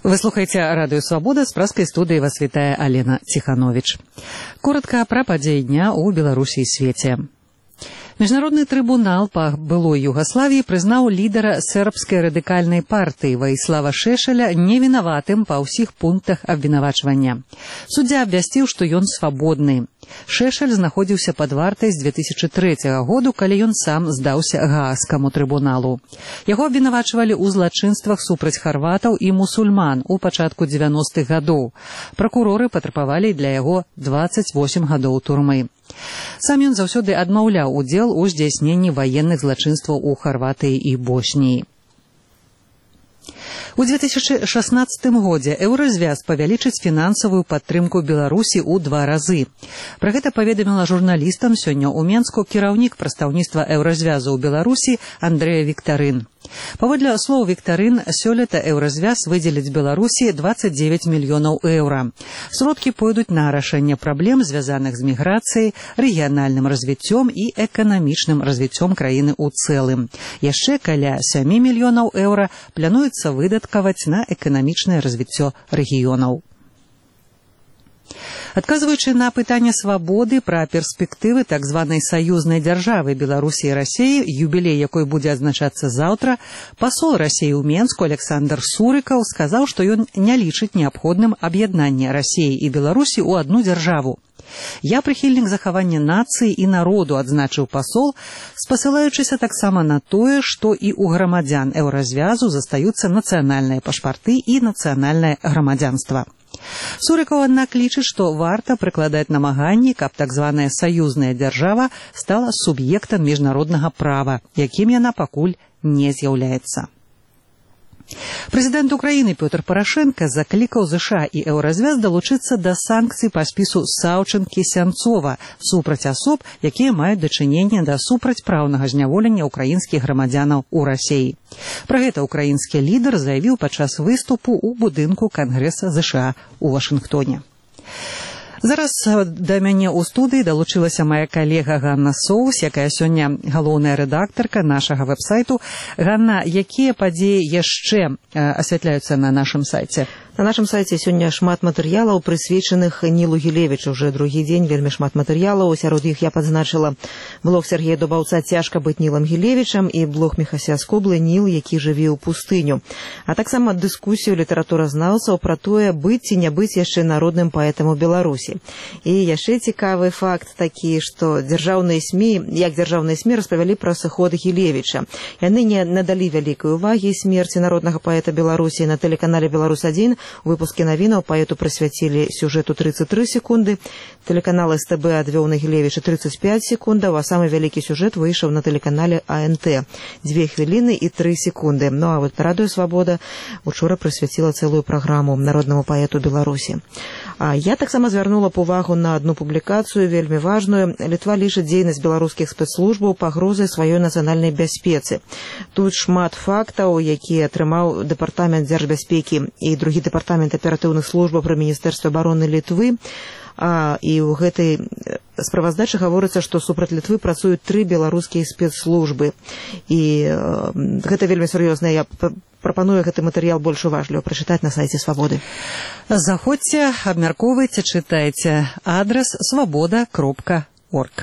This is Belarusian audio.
Вы слухаеце радыё Свабода, з праскай студыі вас вітае Алена Ціхановіч. Коротка пра падзеі дня ў Беларусі і свеце. Міжнародны трыбунал па былой Югаславіі прызнаў лідара сербскай радыкальнай партыі Ваіслава Шешеля невінаватым па ўсіх пунктах абвінавачвання. Суддзя абвясціў, што ён свабодны. Шешель знаходзіўся пад вартай з 2003 году, калі ён сам здаўся Гаагскаму трыбуналу. Яго абвінавачвалі ў злачынствах супраць харватаў і мусульман у пачатку 90-х гадоў. Пракуроры патрабавалі для яго 28 гадоў турмы. Сам ён заўсёды адмаўляў удзел у здзяйсненні ваенных злачынстваў у Харватыі і Босніі. У 2016 годзе Еўразвяз павялічыць фінансавую падтрымку Беларусі ў 2 разы. Пра гэта паведаміла журналістам сёння ў Менску кіраўнік прадстаўніцтва Еўразвязу ў Беларусі Андрэя Віктарын. Паводле слоў Віктарын, сёлета Еўразвяз выдзеліць Беларусі 29 мільёнаў еўра. Сродкі пойдуць на рашэнне праблем, звязаных з міграцыяй, рэгіянальным развіццём і эканамічным развіццём краіны ў цэлым. Яшчэ каля 7 мільёнаў еўра плануецца выдаткаваць на эканамічнае развіццё рэгіёнаў. Адказваючы на пытанне свабоды пра перспектывы так званай саюзнай дзяржавы Беларусі і Расіі, юбілей якой будзе адзначацца заўтра, пасол Расіі ў Менску Александр Сурыкаў сказаў, што ён не лічыць неабходным аб'яднанне Расіі і Беларусі ў адну дзяржаву. Я прыхільнік захавання нацыі і народу, адзначыў пасол, спасылаючыся таксама на тое, што і ў грамадзян Еўразвязу застаюцца нацыянальныя пашпарты і нацыянальнае грамадзянства. Сурыкаў, аднак, лічыць, што варта прыкладаць намаганні, каб так званая саюзная дзяржава стала суб'ектам міжнароднага права, якім яна пакуль не з'яўляецца. Прэзідэнт Украіны Пётр Парашэнка заклікаў ЗША і Еўразвяз далучыцца да санкцый па спісу Саўчэнкі-Сянцова супраць асоб, якія маюць дачыненне да супрацьпраўнага зняволення ўкраінскіх грамадзянаў у Расіі. Пра гэта ўкраінскі лідар заявіў падчас выступу ў будынку Кангрэса ЗША ў Вашынгтоне. Зараз да мяне ў студыі далучылася мая калега Ганна Соус, якая сёння галоўная рэдактарка нашага вэб-сайту. Ганна, якія падзеі яшчэ асвятляюцца на нашым сайце? На нашым сайце сёння шмат матэрыялаў, прысвечаных Нілу Гілевічу. Уже другі дзень вельмі шмат матэрыялаў. Сярод іх я падзначыла блог Сергея Дубаўца «Цяжка быць Нілам Гілевічам» і блог Міхася Скоблы «Ніл, які жыве ў пустыню». А таксама дыскусію літаратуразнаўцаў пра тое, быць ці не быць яшчэ народным паэтам у Беларусі. І яшчэ цікавы факт такі, што дзяржаўныя СМІ распавялі пра сыход Гілевіча. Яны не надалі вялікай увагі смерці народнага паэта Беларусі. На тэлеканале «Беларусь-1» у выпуске навінаў паэту прысвяцілі сюжэту 33 секунды, тэлеканал СТБ адвёў на Гілевіча 35 секундаў, а самы вялікі сюжэт выйшаў на тэлеканале АНТ 2 хвіліны і 3 секунды. Ну а вот радыё Свабода учора прысвяціла цэлую праграму народнаму паэту Беларусі. А я таксама звярнула увагу на одну публікацыю вельмі важную. Літва лічыць дзейнасць беларускіх спецслужбаў пагрозай сваёй нацыянальнай бяспецы. Тут шмат фактаў, якія атрымаў дэпартамент дзяржбяспекі і другі дэпартамент аператыўных службаў пры міністэрстве абароны Літвы. І ў гэтай справаздачы гаворыцца, што супраць Літвы працуюць 3 беларускія спецслужбы. І гэта вельмі сур'ёзна. Я прапаную гэты матэрыял больш уважліва прачытаць на сайце Свабоды. Заходзьце, абмяркоўвайце, чытайце. Адрас swaboda.org.